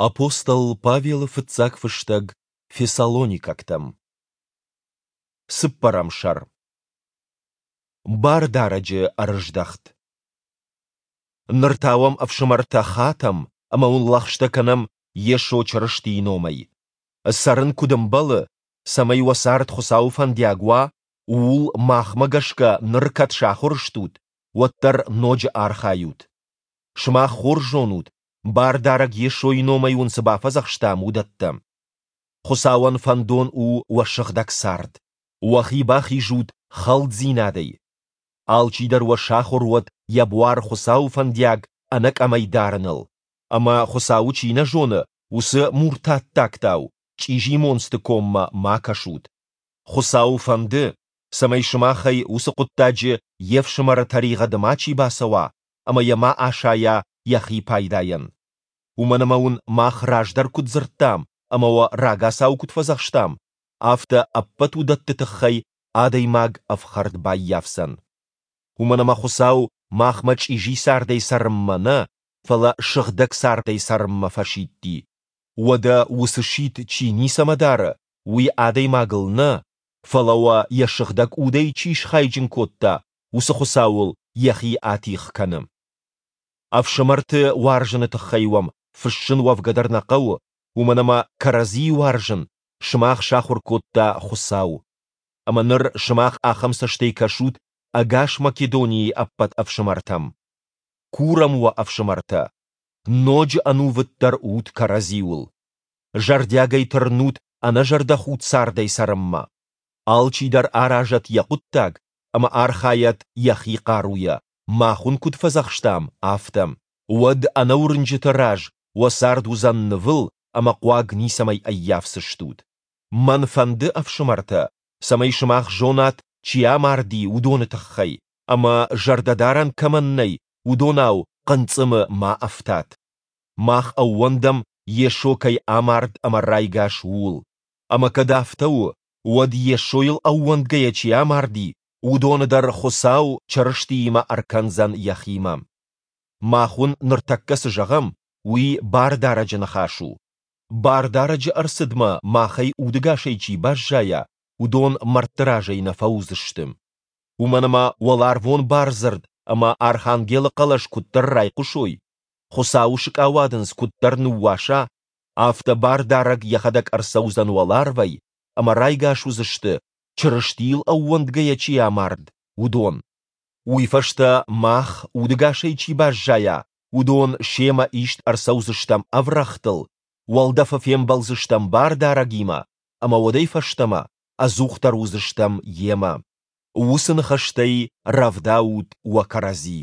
Апостол Павелы фыццаг фыстӕг Фессалоникӕгтӕм. Цыппӕрӕм сӕр. Бардарӕджы ӕрыздӕхт. Ныр та уӕм, ӕфсымӕртӕ, хатӕм ӕмӕ уын лӕгъстӕ кӕнӕм Йесо Чырыстийы номӕй. Цӕрын куыд ӕмбӕлы, цӕмӕй уӕ цард Хуыцауы фӕндиаг уа, ууыл махмӕ гӕсгӕ ныр кӕд сахуыр стут, уӕддӕр ноджы архайут. Сымах хорз зонут, Бардарӕг Йесойы номӕй уын цы бафӕдзӕхстам, уыдӕттӕ. Хуыцауӕн фӕндон у уӕ сыгъдӕг цард. Уӕхи бахизут хӕлддзинадӕй. Алчидӕр уӕ сахуыр уӕд йӕ буар Хуыцауы фӕндиаг ӕнӕкъӕмӕй дарыныл, ӕмӕ Хуыцауы чи нӕ зоны, уыцы муртаттӕгтау, чъизи монцты коммӕ ма кӕсут. Хуыцауы фӕнды, цӕмӕй сымахӕй уыцы хъуыддаджы йе фсымӕры тӕригъӕды мачи бацӕуа ӕмӕ йӕ ма асайа йӕхи пайдайӕн. Уымӕн ӕмӕ уын мах раздӕр куыд дзырдтам ӕмӕ уӕ рагацау куыд фӕдзӕхстам, афтӕ ӕппӕт уыдӕтты тыххӕй адӕймаг ӕфхӕрд баййафдзӕн. Уымӕн ӕмӕ Хуыцау махмӕ чъизи цардӕй цӕрынмӕ нӕ, фӕлӕ сыгъдӕг цардӕй цӕрынмӕ фӕсидти. Уӕдӕ уыцы сидт чи ницӕмӕ дары, уый адӕймагыл нӕ, фӕлӕ уӕ йӕ сыгъдӕг удӕй чи схайджын кодта, уыцы Хуыцауыл йӕхи атигъ кӕны. Ӕфсымӕрты уарзыны тыххӕй уӕм фыссын уӕвгӕ дӕр нӕ хъӕуы, уымӕн ӕмӕ кӕрӕдзийы уарзын сымах сахуыр кодта Хуыцау. Ӕмӕ ныр сымах ахӕм цӕстӕй кӕсут ӕгас Македонийы ӕппӕт ӕфсымӕртӕм. Курӕм уӕ, ӕфсымӕртӕ, ноджы ӕнувыддӕр ут кӕрӕдзиуыл. Зӕрдиагӕй тырнут ӕнӕзӕрдӕхудт цардӕй цӕрынмӕ. Алчидӕр аразӕд йӕ хъуыддаг ӕмӕ архайӕд йӕхи хъаруйӕ, мах уын куыд фӕдзӕхстам, афтӕ. Уӕд ӕнӕуырнджыты раз уӕ цард уыдзӕн нывыл ӕмӕ хъуаг ницӕмӕй ӕййафдзыстут. Мӕн фӕнды, ӕфсымӕртӕ, цӕмӕй сымах зонат, чи амарди, уыдоны тыххӕй, ӕмӕ, зӕрдӕдарӕн кӕмӕн нӕй, уыдонау хъынцъымы ма ӕфтат. Мах ӕууӕндӕм, Йесо кӕй амард ӕмӕ райгас, ууыл. Ӕмӕ кӕд афтӕ у, уӕд Йесойыл ӕууӕндгӕйӕ чи амарди, уыдоны дӕр Хуыцау Чырыстиимӕ ӕркӕндзӕн Йӕхимӕ. Мах уын ныртӕккӕ цы зӕгъӕм, уый Бардарӕджы ныхас у. Бардарӕджы ӕрцыдмӕ махӕй удӕгасӕй чи баззайа, уыдон мӕрдты разӕй нӕ фӕуыдзысты. Уымӕн ӕмӕ уӕларвон бардзырд ӕмӕ архангелы хъӕлӕс куыддӕр райхъуысой, Хуыцауы сыкъауадындз куыддӕр ныууаса, афтӕ Бардарӕг йӕхӕдӕг ӕрцӕудзӕн уӕларвӕй ӕмӕ райгас уыдзысты, Чырыстийыл ӕууӕндгӕйӕ чи амард, уыдон. Уый фӕстӕ мах, удӕгасӕй чи баззайа, уыдон семӕ ист ӕрцӕудзыстӕм ӕврӕгътыл, уӕлдӕфы фембӕлдзыстӕм Бардарӕгимӕ ӕмӕ уӕдӕй фӕстӕмӕ ӕдзухдӕр уыдзыстӕм Йемӕ. Уыцы ныхӕстӕй рӕвдаут уӕ кӕрӕдзи.